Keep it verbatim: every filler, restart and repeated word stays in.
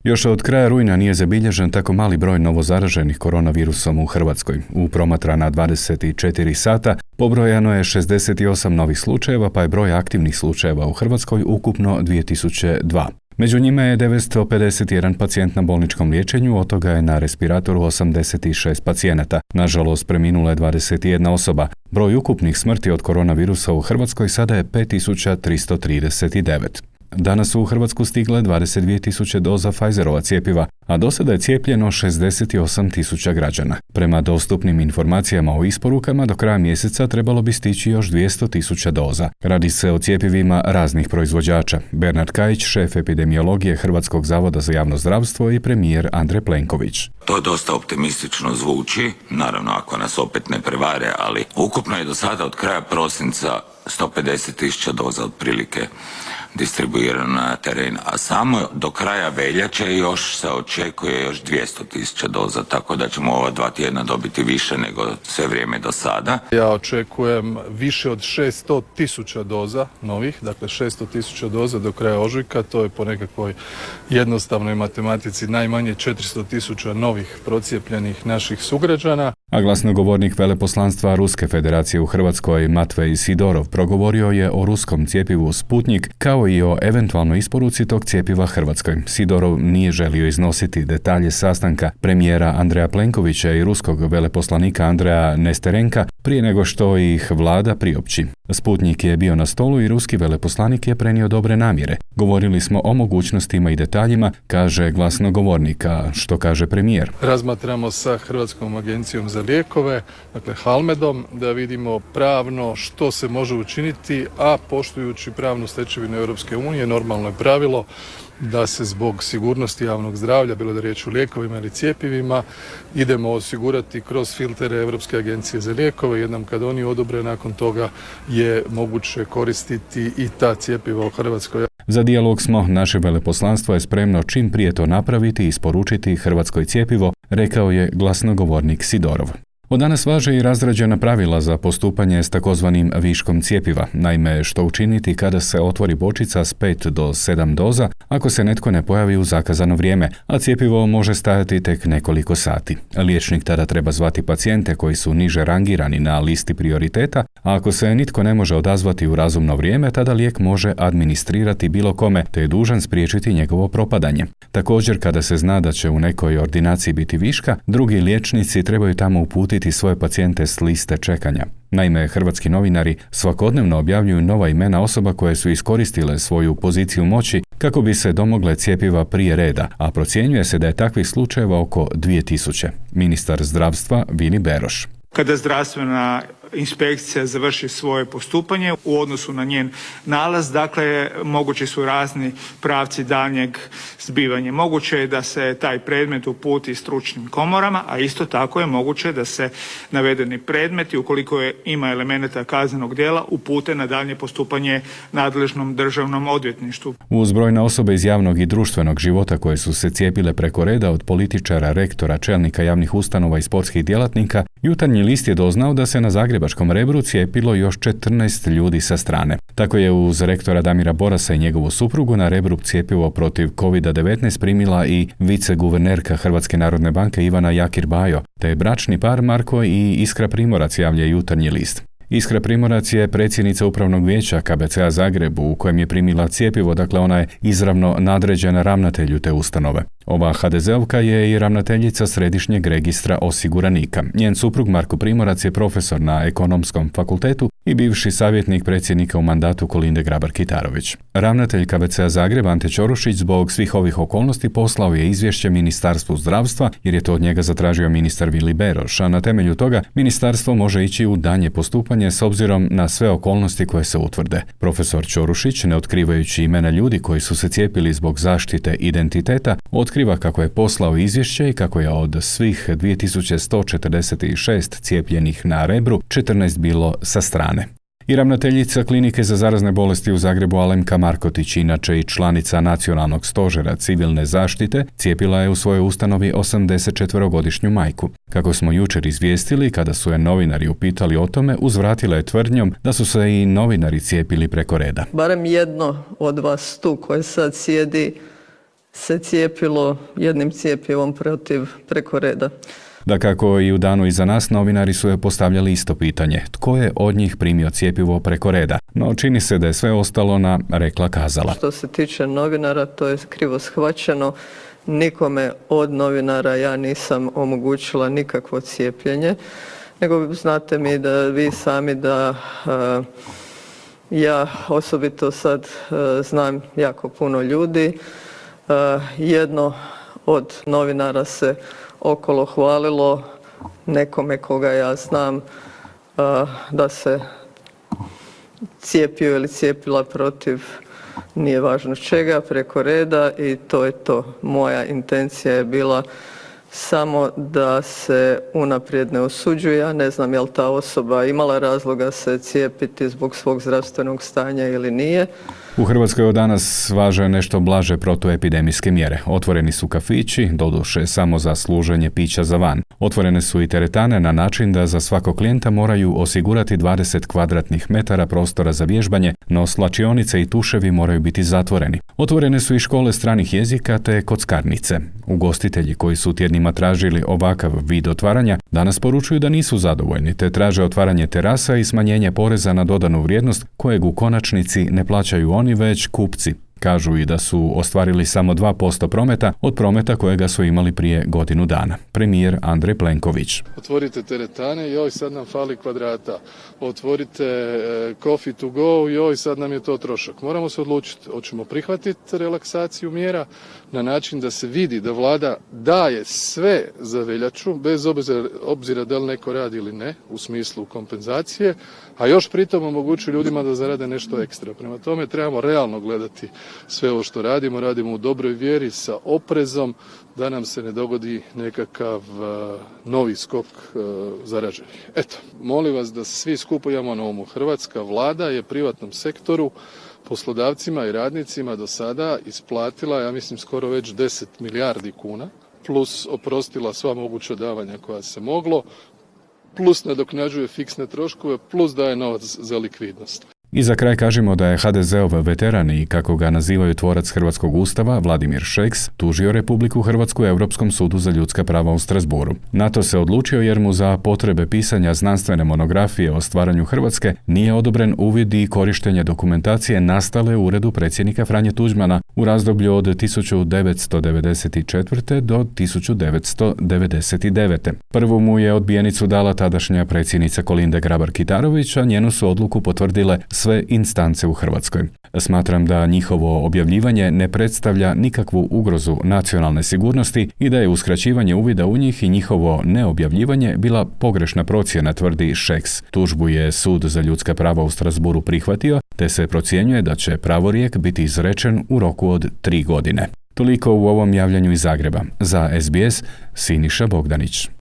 Još od kraja rujna nije zabilježen tako mali broj novozaraženih koronavirusom u Hrvatskoj. U promatrana dvadeset četiri sata pobrojano je šezdeset osam novih slučajeva, pa je broj aktivnih slučajeva u Hrvatskoj ukupno dvije tisuće dva. Među njima je devetsto pedeset jedan pacijent na bolničkom liječenju, od toga je na respiratoru osamdeset šest pacijenata. Nažalost, preminula je dvadeset jedna osoba. Broj ukupnih smrti od koronavirusa u Hrvatskoj sada je pet tisuća tristo trideset devet. Danas su u Hrvatsku stigle dvadeset dvije tisuće doza Pfizerova cjepiva, a do sada je cijepljeno šezdeset osam tisuća građana. Prema dostupnim informacijama o isporukama, do kraja mjeseca trebalo bi stići još dvjesto tisuća doza. Radi se o cjepivima raznih proizvođača. Bernard Kajić, šef epidemiologije Hrvatskog zavoda za javno zdravstvo, i premijer Andrej Plenković. To dosta optimistično zvuči, naravno ako nas opet ne prevare, ali ukupno je do sada od kraja prosinca sto pedeset tisuća doza otprilike distribuirano na teren, a samo do kraja veljače još se očekuje još dvjesto tisuća doza, tako da ćemo ova dva tjedna dobiti više nego sve vrijeme do sada. Ja očekujem više od šesto tisuća doza novih, dakle šesto tisuća doza do kraja ožujka, to je po nekakvoj jednostavnoj matematici najmanje četiristo tisuća novih procijepljenih naših sugrađana. A glasnogovornik veleposlanstva Ruske federacije u Hrvatskoj Matvej Sidorov progovorio je o ruskom cjepivu Sputnik kao i o eventualnoj isporuci tog cjepiva Hrvatskoj. Sidorov nije želio iznositi detalje sastanka premijera Andreja Plenkovića i ruskog veleposlanika Andreja Nesterenka prije nego što ih vlada priopći. Sputnik je bio na stolu i ruski veleposlanik je prenio dobre namjere. Govorili smo o mogućnostima i detaljima, kaže glasnogovornik, a što kaže premijer. Razmatramo sa Hrvatskom agencijom za lijekove, dakle Halmedom, da vidimo pravno što se može učiniti, a poštujući pravnu stečevinu Europske unije, normalno je pravilo da se zbog sigurnosti javnog zdravlja, bilo da je riječ o lijekovima ili cjepivima, idemo osigurati kroz filtere Europske agencije za lijekove. Jednom kad oni odobre, nakon toga je moguće koristiti i ta cjepiva u Hrvatskoj. Za dijalog smo, naše veleposlanstvo je spremno čim prije to napraviti i isporučiti Hrvatskoj cjepivo, rekao je glasnogovornik Sidorov. Od danas važe i razrađena pravila za postupanje s takozvanim viškom cjepiva. Naime, što učiniti kada se otvori bočica s pet do sedam doza ako se netko ne pojavi u zakazano vrijeme, a cjepivo može stajati tek nekoliko sati. Liječnik tada treba zvati pacijente koji su niže rangirani na listi prioriteta, a ako se nitko ne može odazvati u razumno vrijeme, tada lijek može administrirati bilo kome, te je dužan spriječiti njegovo propadanje. Također, kada se zna da će u nekoj ordinaciji biti viška, drugi liječnici trebaju tamo uputiti svoje pacijente s liste čekanja. Naime, hrvatski novinari svakodnevno objavljuju nova imena osoba koje su iskoristile svoju poziciju moći kako bi se domogle cjepiva prije reda, a procjenjuje se da je takvih slučajeva oko dvije tisuće. Ministar zdravstva Vili Beroš. Kada zdravstvena inspekcija završi svoje postupanje u odnosu na njen nalaz, dakle mogući su razni pravci daljnjeg zbivanja. Moguće je da se taj predmet uputi stručnim komorama, a isto tako je moguće da se navedeni predmeti, ukoliko je, ima elemenata kaznenog djela, upute na daljnje postupanje nadležnom državnom odvjetništvu. Uz brojne osobe iz javnog i društvenog života koje su se cijepile preko reda, od političara, rektora, čelnika javnih ustanova i sportskih djelatnika, Jutarnji list je doznao da se na zagrebačkom Rebru cijepilo još četrnaest ljudi sa strane. Tako je uz rektora Damira Borasa i njegovu suprugu na Rebru cjepivo protiv kovid devetnaest primila i viceguvernerka Hrvatske narodne banke Ivana Jakir Bajo, te bračni par Marko i Iskra Primorac, javlja Jutarnji list. Iskra Primorac je predsjednica upravnog vijeća K B C-a Zagreb u kojem je primila cjepivo, dakle ona je izravno nadređena ravnatelju te ustanove. Ova ha de zeovka je i ravnateljica Središnjeg registra osiguranika. Njen suprug Marko Primorac je profesor na Ekonomskom fakultetu i bivši savjetnik predsjednika u mandatu Kolinde Grabar-Kitarović. Ravnatelj K B C-a Zagreb Ante Ćorušić zbog svih ovih okolnosti poslao je izvješće Ministarstvu zdravstva jer je to od njega zatražio ministar Vili Beroš, a na temelju toga ministarstvo može ići u daljnje postupanje s obzirom na sve okolnosti koje se utvrde. Profesor Ćorušić, ne otkrivajući imena ljudi koji su se cijepili zbog zaštite identiteta, otkriva kako je poslao izvješće i kako je od svih dvije tisuće sto četrdeset šest cijepljenih na Rebru četrnaest bilo sa strane. I ravnateljica Klinike za zarazne bolesti u Zagrebu Alemka Markotić, inače i članica Nacionalnog stožera civilne zaštite, cijepila je u svojoj ustanovi osamdesetčetverogodišnju majku. Kako smo jučer izvijestili, kada su je novinari upitali o tome, uzvratila je tvrdnjom da su se i novinari cijepili preko reda. Barem jedno od vas tu koje sad sjedi se cijepilo jednim cjepivom protiv preko reda. Dakako i u danu iza nas novinari su je postavljali isto pitanje. Tko je od njih primio cjepivo preko reda? No čini se da je sve ostalo na rekla kazala. Što se tiče novinara, to je krivo shvaćeno. Nikome od novinara ja nisam omogućila nikakvo cijepljenje, nego znate mi da vi sami da uh, ja osobito sad uh, znam jako puno ljudi. Uh, jedno od novinara se okolo hvalilo nekome koga ja znam uh, da se cijepio ili cijepila protiv nije važno čega, preko reda i to je to. Moja intencija je bila samo da se unaprijed ne osuđuje. Ja ne znam je li ta osoba imala razloga se cijepiti zbog svog zdravstvenog stanja ili nije. U Hrvatskoj od danas važe nešto blaže protuepidemijske mjere. Otvoreni su kafići, doduše samo za služenje pića za van. Otvorene su i teretane na način da za svakog klijenta moraju osigurati dvadeset kvadratnih metara prostora za vježbanje, no slačionice i tuševi moraju biti zatvoreni. Otvorene su i škole stranih jezika te kockarnice. Ugostitelji koji su tjednima tražili ovakav vid otvaranja danas poručuju da nisu zadovoljni te traže otvaranje terasa i smanjenje poreza na dodanu vrijednost kojeg u konačnici ne plaćaju oni već kupci. Kažu i da su ostvarili samo dva posto prometa od prometa kojega su imali prije godinu dana. Premijer Andrej Plenković. Otvorite teretane, joj sad nam fali kvadrata. Otvorite e, coffee to go, joj sad nam je to trošak. Moramo se odlučiti, hoćemo prihvatiti relaksaciju mjera na način da se vidi da vlada daje sve za veljaču, bez obzira, obzira da li neko radi ili ne, u smislu kompenzacije, a još pritom omogućuje ljudima da zarade nešto ekstra. Prema tome trebamo realno gledati sve ovo što radimo, radimo u dobroj vjeri sa oprezom da nam se ne dogodi nekakav uh, novi skok uh, zaraženih. Eto, molim vas da svi skupo imamo na umu. Hrvatska vlada je privatnom sektoru, poslodavcima i radnicima do sada isplatila, ja mislim, skoro već deset milijardi kuna, plus oprostila sva moguća davanja koja se moglo, plus nadoknađuje fiksne troškove, plus daje novac za likvidnost. I za kraj kažemo da je ha de zeov veteran i, kako ga nazivaju, tvorac Hrvatskog ustava, Vladimir Šeks, tužio Republiku Hrvatsku Europskom sudu za ljudska prava u Strasbourgu. Na to se odlučio jer mu za potrebe pisanja znanstvene monografije o stvaranju Hrvatske nije odobren uvid i korištenje dokumentacije nastale u uredu predsjednika Franje Tuđmana u razdoblju od tisuću devetsto devedeset četvrte. do tisuću devetsto devedeset devete. Prvu mu je odbijenicu dala tadašnja predsjednica Kolinde Grabar-Kitarović, a njenu su odluku potvrdile sve instance u Hrvatskoj. Smatram da njihovo objavljivanje ne predstavlja nikakvu ugrozu nacionalne sigurnosti i da je uskraćivanje uvida u njih i njihovo neobjavljivanje bila pogrešna procjena, tvrdi Šeks. Tužbu je Sud za ljudska prava u Strasbourgu prihvatio, te se procjenjuje da će pravorijek biti izrečen u roku od tri godine. Toliko u ovom javljanju iz Zagreba. Za es be es, Siniša Bogdanić.